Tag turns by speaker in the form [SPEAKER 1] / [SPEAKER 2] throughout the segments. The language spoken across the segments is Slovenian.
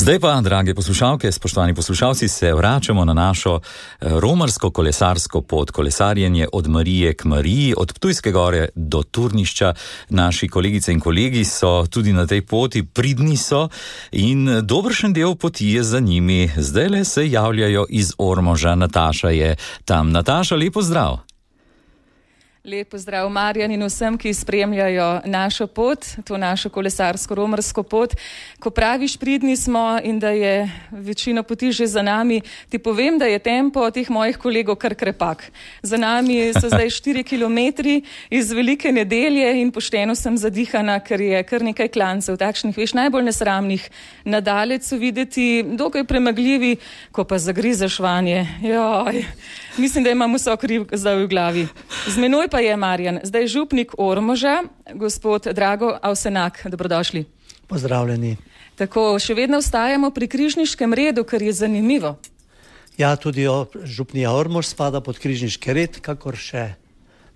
[SPEAKER 1] Zdaj pa, drage poslušalke, spoštovani poslušalci, se vračamo na našo romarsko-kolesarsko pot, kolesarjenje od Marije k Mariji, od Ptujske gore do Turnišča. Naši kolegice in kolegi so tudi na tej poti, pridni so in dobršen del poti je za njimi. Zdaj le se javljajo iz Ormoža. Nataša je tam. Nataša, lep pozdrav.
[SPEAKER 2] Lep pozdrav Marjan in vsem, ki spremljajo našo pot, to našo kolesarsko-romarsko pot. Ko praviš, pridni smo in da je večina poti že za nami, ti povem, da je tempo teh mojih kolegov kar krepak. Za nami so zdaj 4 kilometri iz Velike nedelje in pošteno sem zadihana, ker je kar nekaj klancev, takšnih, veš, najbolj nesramnih. Nadalec so videti dokaj premagljivi, ko pa zagrizeš vanje. Joj, mislim, da imam vso kriv zdaj v glavi. Z menoj pa je Marjan, zdaj župnik Ormoža, gospod Drago Avsenak. Dobrodošli.
[SPEAKER 3] Pozdravljeni.
[SPEAKER 2] Tako, še vedno ostajamo pri križniškem redu, kar je zanimivo.
[SPEAKER 3] Ja, tudi župnija Ormož spada pod križniški red, kakor še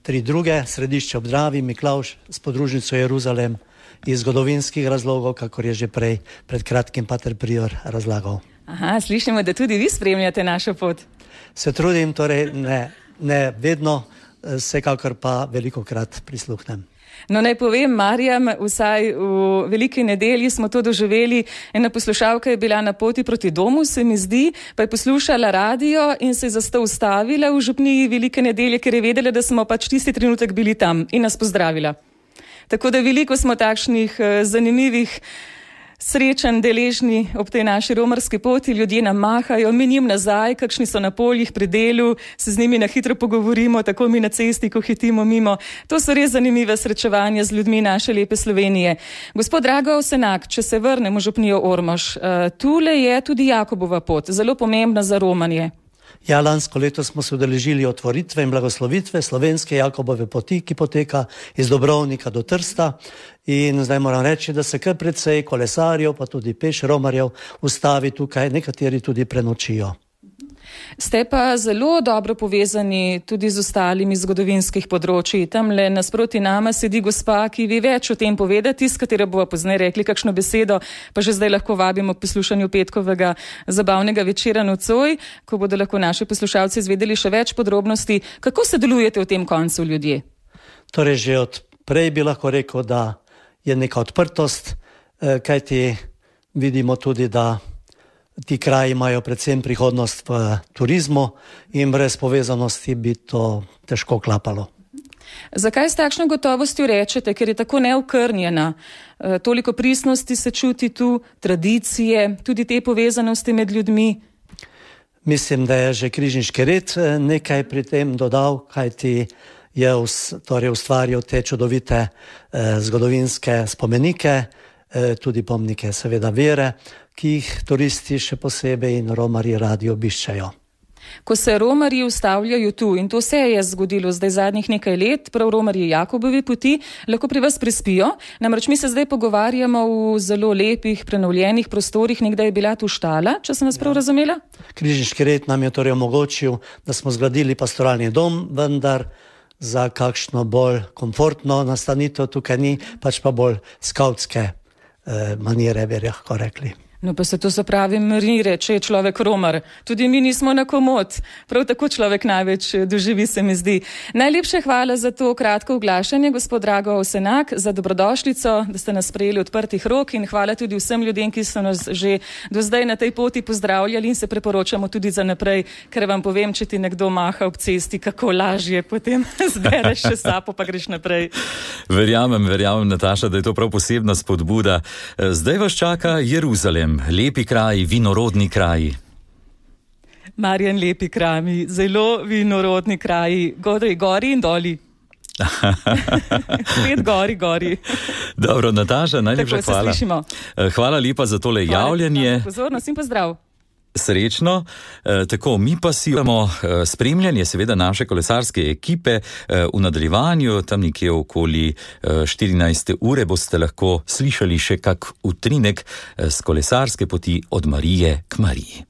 [SPEAKER 3] 3 druge, Središče ob Dravi, Miklavž s podružnico Jeruzalem, iz zgodovinskih razlogov, kakor je že prej pred kratkim pater prior razlagal.
[SPEAKER 2] Aha, slišimo, da tudi vi spremljate našo pot.
[SPEAKER 3] Se trudim, torej ne vedno, vsekakor pa velikokrat prisluhnem.
[SPEAKER 2] No, naj povem, Marjam, vsaj v Veliki nedelji smo to doživeli. Ena poslušalka je bila na poti proti domu, se mi zdi, pa je poslušala radio in se je zato ustavila v župniji Velike nedelje, ker je vedela, da smo pač tisti trenutek bili tam in nas pozdravila. Tako da veliko smo takšnih zanimivih srečanj deležni ob tej naši romarski poti, ljudje nam mahajo, mi njim nazaj, kakšni so na poljih pri delu, se z njimi na hitro pogovorimo, tako mi na cesti, ko hitimo mimo. To so res zanimive srečevanja z ljudmi naše lepe Slovenije. Gospod Drago Avsenak, če se vrnemo v župnijo Ormož, tule je tudi Jakobova pot, zelo pomembna za romanje.
[SPEAKER 3] Ja, lansko leto smo se udeležili otvoritve in blagoslovitve slovenske Jakobove poti, ki poteka iz Dobrovnika do Trsta. In zdaj moram reči, da se kar precej kolesarjev, pa tudi peš romarjev ustavi tukaj, nekateri tudi prenočijo.
[SPEAKER 2] Ste pa zelo dobro povezani tudi z ostalimi zgodovinskih področji. Tamle nasproti nama sedi gospa, ki ve več o tem povedati, s katero bova pozneje rekli kakšno besedo, pa že zdaj lahko vabimo k poslušanju petkovega zabavnega večera nocoj, ko bodo lahko naši poslušalci izvedeli še več podrobnosti. Kako se delujete v tem koncu, ljudje?
[SPEAKER 3] Torej, že od prej bi lahko rekel, da je neka odprtost, kajti vidimo tudi, da ti kraji imajo predvsem prihodnost v turizmu in brez povezanosti bi to težko klapalo.
[SPEAKER 2] Zakaj s takšno gotovostjo rečete, ker je tako neokrnjena? Toliko pristnosti se čuti tu, tradicije, tudi te povezanosti med ljudmi?
[SPEAKER 3] Mislim, da je že križniški red nekaj pri tem dodal, kajti je ustvaril te čudovite zgodovinske spomenike, tudi pomnike seveda vere, ki jih turisti še posebej in romarji radi obiščajo.
[SPEAKER 2] Ko se romarji ustavljajo tu, in to se je zgodilo zdaj zadnjih nekaj let, prav romarji Jakobove poti, lahko pri vas prespijo. Namreč mi se zdaj pogovarjamo v zelo lepih, prenovljenih prostorih, nekdaj je bila tu štala, če sem vas prav razumela?
[SPEAKER 3] Križniški red nam je torej omogočil, da smo zgradili pastoralni dom, vendar za kakšno bolj komfortno nastanitev tukaj ni, pač pa bolj skavtske manire, bi lahko rekli.
[SPEAKER 2] No pa se to so pravi manire, če je človek romar. Tudi mi nismo na komod. Prav tako človek največ doživi, se mi zdi. Najlepše hvala za to kratko oglašanje, gospod Drago Avsenak, za dobrodošlico, da ste nas sprejeli odprtih rok in hvala tudi vsem ljudem, ki so nas že do zdaj na tej poti pozdravljali in se preporočamo tudi za naprej, ker vam povem, če ti nekdo maha ob cesti, kako lažje potem zbereš še sapo, pa greš naprej.
[SPEAKER 1] Verjamem, Nataša, da je to prav posebna spodbuda. Zdaj vas čaka Jeruzalem. Lepi kraji, vinorodni kraji.
[SPEAKER 2] Marjan, lepi kraji, zelo vinorodni kraji, gori in doli. Spet gori.
[SPEAKER 1] Dobro, Nataša, najlepša hvala. Hvala lepa za tole javljanje.
[SPEAKER 2] Pozornost in pozdrav.
[SPEAKER 1] Srečno. Tako, mi pa si imamo spremljanje seveda naše kolesarske ekipe v nadaljevanju, tam nekje okoli 14. ure boste lahko slišali še kak utrinek z kolesarske poti od Marije k Mariji.